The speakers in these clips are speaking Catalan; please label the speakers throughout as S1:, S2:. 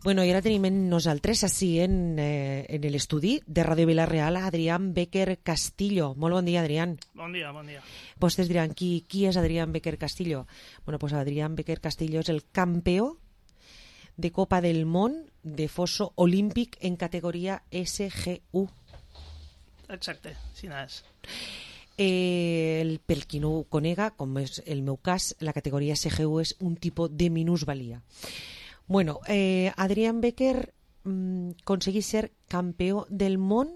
S1: Bueno, i ara tenim en nosaltres, així en l'estudi de Ràdio Vila-real, Adrián Becker Castillo. Molt bon dia, Adrián.
S2: Bon dia, bon dia.
S1: Vostès diran, qui és Adrián Becker Castillo? Bueno, pues Adrián Becker Castillo és el campió de Copa del Món de foso olímpic en categoria SGU.
S2: Exacte, sí n'és.
S1: Per qui no ho conega, com és el meu cas, la categoria SGU és un tipus de minusvalia. Bueno, Adrián Becker aconseguí ser campió del món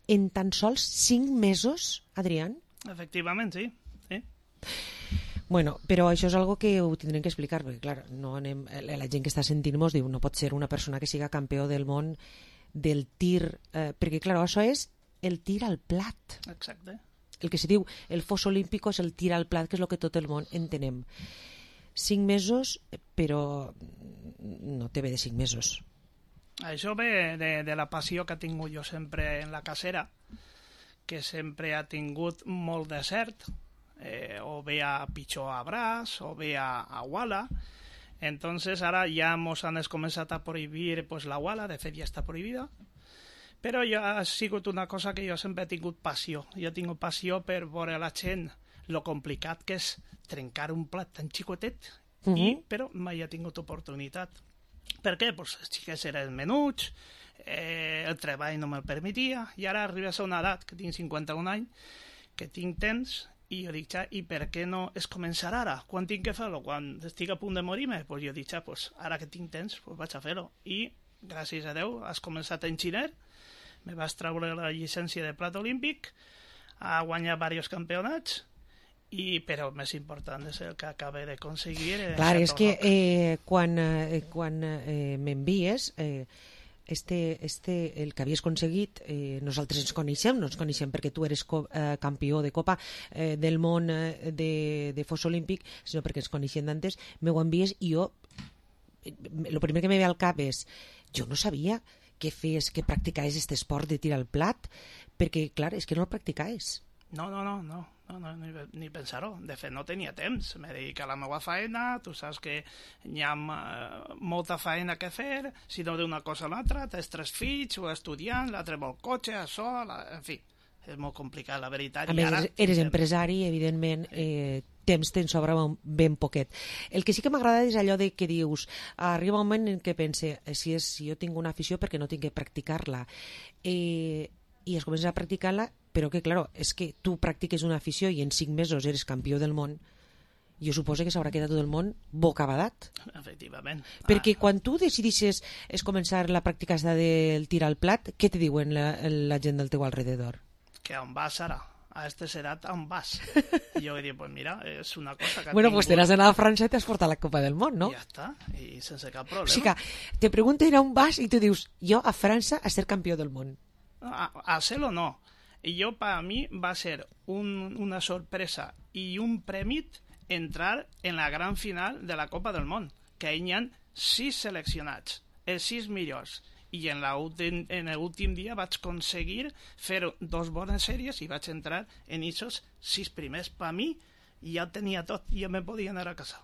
S1: en tan sols 5 mesos, Adrián?
S2: Efectivament, sí.
S1: Bueno, però això és algo que ho tindrem que explicar, perquè clar, no anem, la gent que està sentint-nos diu no pot ser una persona que siga campió del món del tir, perquè clar, això és el tir al plat.
S2: Exacte.
S1: El que se diu el fos olímpico és el tir al plat, que és el que tot el món entenem. 5 mesos, però no té bé de 5 mesos.
S2: Això ve de la passió que he tingut jo sempre en la casera, que sempre ha tingut molt de cert, o bé a pitjor a braç, o bé a wala. Entonces ara ja mos han començat a prohibir pues, la wala, de fet ja està prohibida, però ja ha sigut una cosa que jo sempre he tingut passió. Jo he tingut passió per veure la gent lo complicat que és trencar un plat tan xicotet, però mai he tingut oportunitat. Per què? Pues els xiquets eren menuts, el treball no me'l permetia, i ara arribes a una edat, que tinc 51 anys, que tinc temps, i jo dic, i per què no es començarà ara? Quan tinc que fer-lo? Quan estic a punt de morir-me? Pues jo dic, pues ara que tinc temps, pues vaig a fer-ho. I, gràcies a Déu, has començat a enxiner, me vas treure la llicència de plat olímpic, a guanyar diversos campionats, però el més important és el que acaba d'aconseguir.
S1: Clar, és que quan m'envies el que havies aconseguit, nosaltres ens coneixem perquè tu eres campió de Copa del Món de fos olímpic, sinó perquè ens coneixem d'antes, m'ho envies i jo el primer que me ve al cap és jo no sabia que practicaves aquest esport de tirar al plat, perquè clar, és que no el practicaves.
S2: No, ni pensar-ho. De fet, no tenia temps. Me dedico a la meva feina, tu saps que hi ha molta feina que fer, si no d'una cosa a l'altra, tens 3 fills, o estudiant, l'altre vol cotxe, això, en fi, és molt complicat, la veritat.
S1: A més, eres empresari, evidentment, temps te'n sobra ben poquet. El que sí que m'agrada és allò de que dius, arriba un moment en què pense, si jo tinc una afició, perquè no tinc que practicar-la, i es comença a practicar-la, però que, clar, és que tu practiques una afició i en 5 mesos eres campió del món, jo suposo que s'haurà quedat tot el món bocabadat.
S2: Efectivament.
S1: Perquè quan tu decidisses començar la pràctica del tir al plat, què te diuen la gent del teu alrededor?
S2: Que on vas ara? A este edat on vas? I jo he dit, pues mira, és una cosa que...
S1: Bueno, pues te n'has anat a França i t'has portat la Copa del Món, no?
S2: Ja està, i sense cap problema.
S1: O sigui que te pregunten on vas i tu dius, jo a França a ser campió del món.
S2: A ser-lo no. I jo, per a mi, va ser una sorpresa i un prèmit entrar en la gran final de la Copa del Món, que hi ha 6 seleccionats, els 6 millors. I en l'últim dia vaig aconseguir fer 2 bones sèries i vaig entrar en aquests 6 primers. Per a mi, ja tenia tot, ja me podia anar a casa.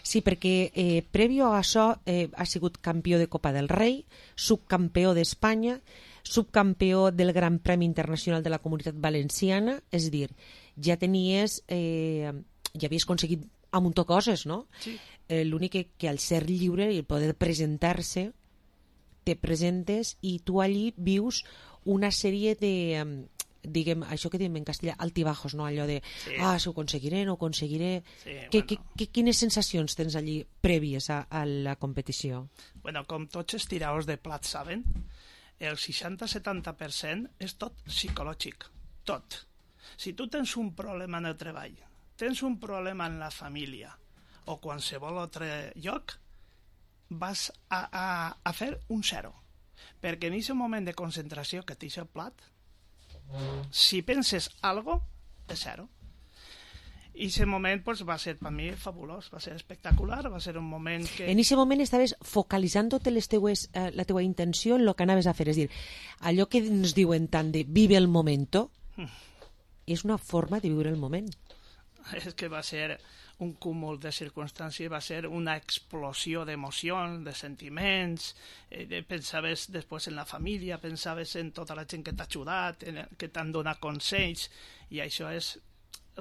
S1: Sí, perquè prèvio a això ha sigut campió de Copa del Rei, subcampió d'Espanya, subcampió del Gran Premi Internacional de la Comunitat Valenciana, és a dir, ja tenies, ja havies aconseguit un munt de coses, no?
S2: Sí.
S1: L'únic que al ser lliure i poder presentar-se, te presentes i tu allí vius una sèrie de, diguem, això que diem en castellà, altibajos, no? Allò de, si ho aconseguiré, no ho aconseguiré. Sí, quines sensacions tens allí prèvies a la competició?
S2: Bueno, com tots els tiradors de plat saben, el 60-70% és tot psicològic, tot. Si tu tens un problema en el treball, tens un problema en la família o qualsevol altre lloc, vas a fer un 0. Perquè en aquest moment de concentració que tens el plat, si penses algo, és 0. I aquest moment pues, va ser per mi fabulós, va ser espectacular, va ser un moment que...
S1: En aquest moment estaves focalitzant tota la teua intenció en el que anaves a fer, és dir, allò que ens diuen tant de vive el momento, és una forma de viure el moment.
S2: és que va ser un cúmul de circumstàncies, va ser una explosió d'emocions, de sentiments, pensaves després en la família, pensaves en tota la gent que t'ha ajudat, que t'han donat consells, i això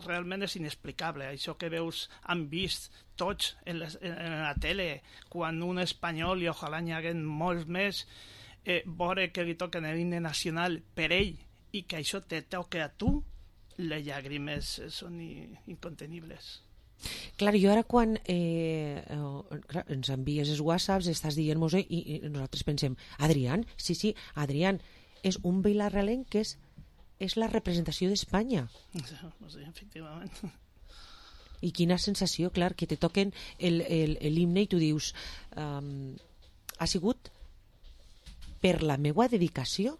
S2: realment és inexplicable. Això que veus, han vist tots en la tele, quan un espanyol, i ojalà n'hi hagués molts més, veure que li toquen l'himne nacional per ell, i que això te toca a tu, les llàgrimes són incontenibles.
S1: Clar, jo ara quan ens envies els whatsapps estàs dient-nos i nosaltres pensem, Adrián, sí, Adrián és un vilarrelenc que és la representació d'Espanya.
S2: Sí, efectivament.
S1: I quina sensació, clar, que te toquen l'himne i tu dius ha sigut per la meua dedicació.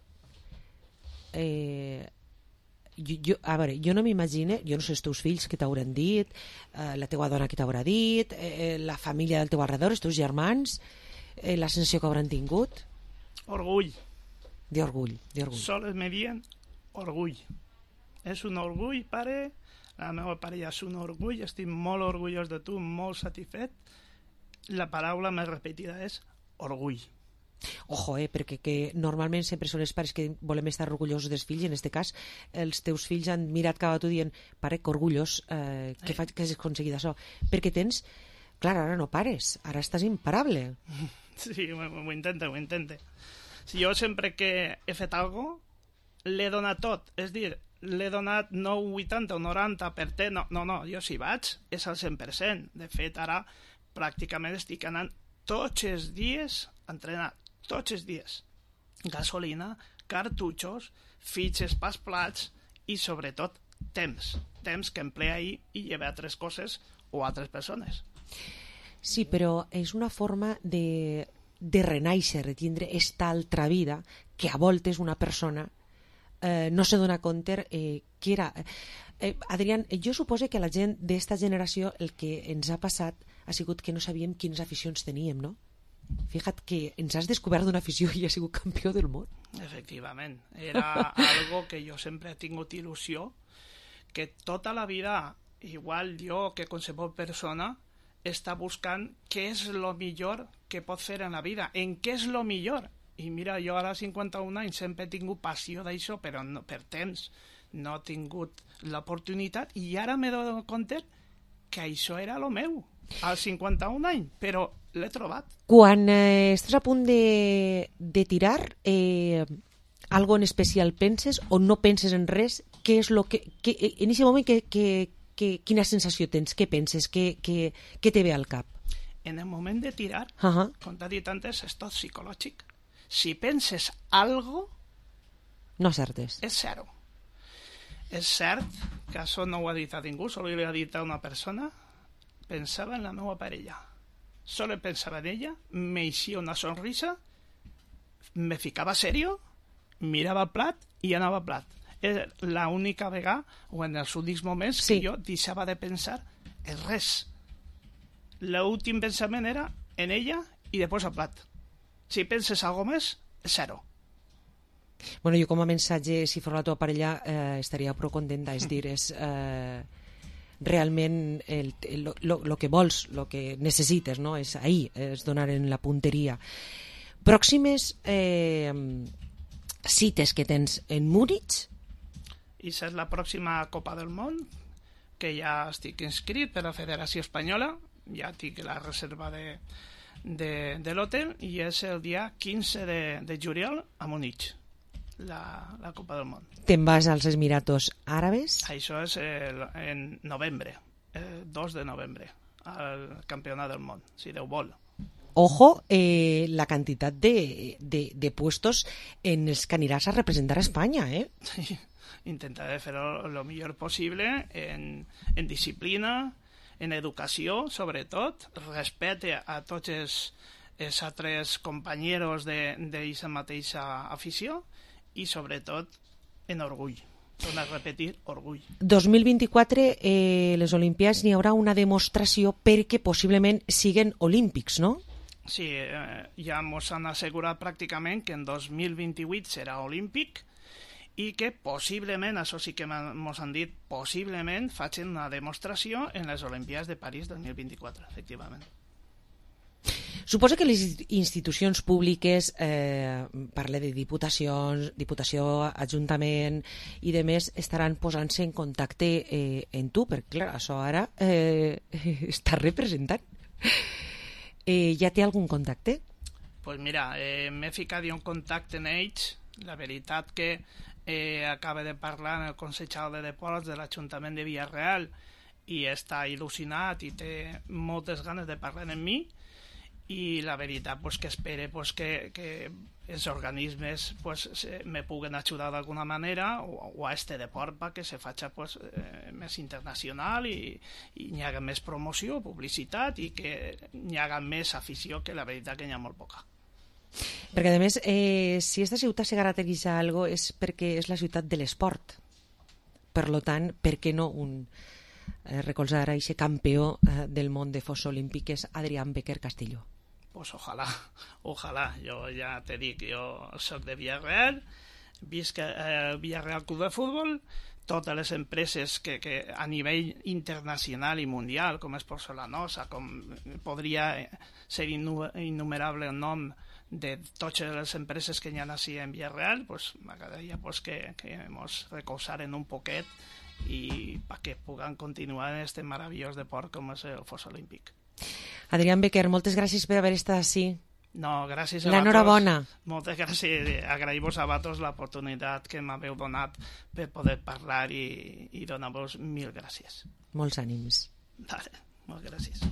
S1: A veure, jo no m'imagino, jo no sé els teus fills que t'hauran dit, la teua dona que t'haurà dit, la família del teu alrededor, els teus germans, la sensació que hauran tingut.
S2: Orgull.
S1: D'orgull.
S2: Sols me dient orgull. És un orgull, pare. La meva parella és un orgull, estic molt orgullós de tu, molt satisfet. La paraula més repetida és orgull.
S1: Ojo, perquè que normalment sempre són els pares que volem estar orgullosos dels fills, i en aquest cas els teus fills han mirat cap a tu dient, pare, que orgullós que has aconseguit això, perquè tens, clar, ara no pares, ara estàs imparable.
S2: Sí, ho intente. Si jo sempre que he fet alguna cosa, l'he donat tot, és dir, l'he donat no un 80 o 90 per te, no, jo si vaig és al 100%. De fet, ara pràcticament estic anant tots els dies a entrenar, tots els dies. Gasolina, cartutxos, fitxes pels plats i, sobretot, temps que emplea ahir i lleva altres coses o altres persones.
S1: Sí, però és una forma de renaixer, de tindre esta altra vida que a voltes una persona no se dona compte que era... Adrián, jo suposo que la gent d'esta generació el que ens ha passat ha sigut que no sabíem quines aficions teníem, no? Fíjate que ens has descobert una afició i has sigut campió del món.
S2: Efectivament, era algo que jo sempre he tingut il·lusió, que tota la vida, igual jo que qualsevol persona, està buscant què és el millor que pot fer en la vida, en què és el millor. I mira, jo ara 51 anys sempre he tingut passió d'això, però no, per temps no he tingut l'oportunitat, i ara m'he donat compte que això era el meu, als 51 anys, però l'he trobat.
S1: Quan estàs a punt de tirar, algo en especial penses o no penses en res? Què és lo que en aquest moment quina sensació tens? Què penses? Què te ve al cap?
S2: En el moment de tirar, com t'ha dit antes, és tot psicològic. Si penses algo,
S1: no acertes.
S2: És zero. És cert que això no ho ha dit a ningú, solo li ha dit a una persona. Pensava en la meva parella. Solo pensava en ella, me eixia una sonrisa, me ficava serio, mirava el plat i anava al plat. És l'única vegada, o en els únics moments, que jo deixava de pensar en res. L'últim pensament era en ella i després al plat. Si penses algo més, és zero.
S1: Bueno, jo com a mensatge, si fos la teva parella, estaria prou contenta, és dir, és realment el que vols, el que necessites, no? És ahir, és donar en la punteria. Pròximes cites que tens en Múnich?
S2: I és la pròxima Copa del Món, que ja estic inscrit per la Federació Espanyola, ja tinc la reserva de l'hotel, i és el dia 15 de juliol a Múnich, la Copa del Món.
S1: Te'n vas als Emiratos Àrabes?
S2: Això és en novembre, el 2 de novembre, al Campionat del Món, si Déu vol.
S1: Ojo, la quantitat de puestos en els que aniràs a representar a Espanya, eh?
S2: Sí, intentaré fer-ho el millor possible en disciplina, en educació, sobretot, respecte a tots els altres companys d'aquesta mateixa afició i, sobretot, en orgull. Torno a repetir, orgull.
S1: 2024, les Olimpiades, n'hi haurà una demostració perquè possiblement siguen olímpics, no?
S2: Sí, ja ens han assegurat pràcticament que en 2028 serà olímpic i que possiblement, això sí que ens han dit, possiblement facin una demostració en les Olimpiades de París 2024, efectivament.
S1: Suposo que les institucions públiques, parle de diputacions, Diputació, Ajuntament i de més, estaran posant-se en contacte en tu, perquè clar, això ara està representant. Ja té algun contacte?
S2: Pues mira, m'he ficat en contacte amb ells. La veritat que acaba de parlar en el Consell de Deports de l'Ajuntament de Villarreal i està il·lusionat i té moltes ganes de parlar amb mi, i la veritat pues, que espere pues, que els organismes pues, me puguen ajudar d'alguna manera o a este deport perquè se faci pues, més internacional i hi haga més promoció, publicitat i que hi haga més afició, que la veritat que n'hi ha molt poca.
S1: Perquè a més, si aquesta ciutat se caracteritza algo és perquè és la ciutat de l'esport. Per lo tant, per què no recolzar a aquest campió del món de fossa olímpic, que és Adrián Becker Castillo?
S2: Pues ojalá. Jo ja te dic, jo soc de Villarreal, visc al Villarreal Club de Futbol, totes les empreses que a nivell internacional i mundial, com és Porcelanosa, com podria ser innumerable el nom de totes les empreses que hi ha així en Villarreal, pues m'agradaria pues, que ens recolzaren un poquet i perquè puguem continuar en aquest meravellós deport com és el fos olímpic.
S1: Adrián Becker, moltes gràcies per haver estat així.
S2: No, gràcies a
S1: l'enhorabona.
S2: Moltes gràcies. Agraïm-vos a vosaltres l'oportunitat que m'haveu donat per poder parlar i donar-vos mil gràcies.
S1: Molts ànims.
S2: Vale, moltes gràcies.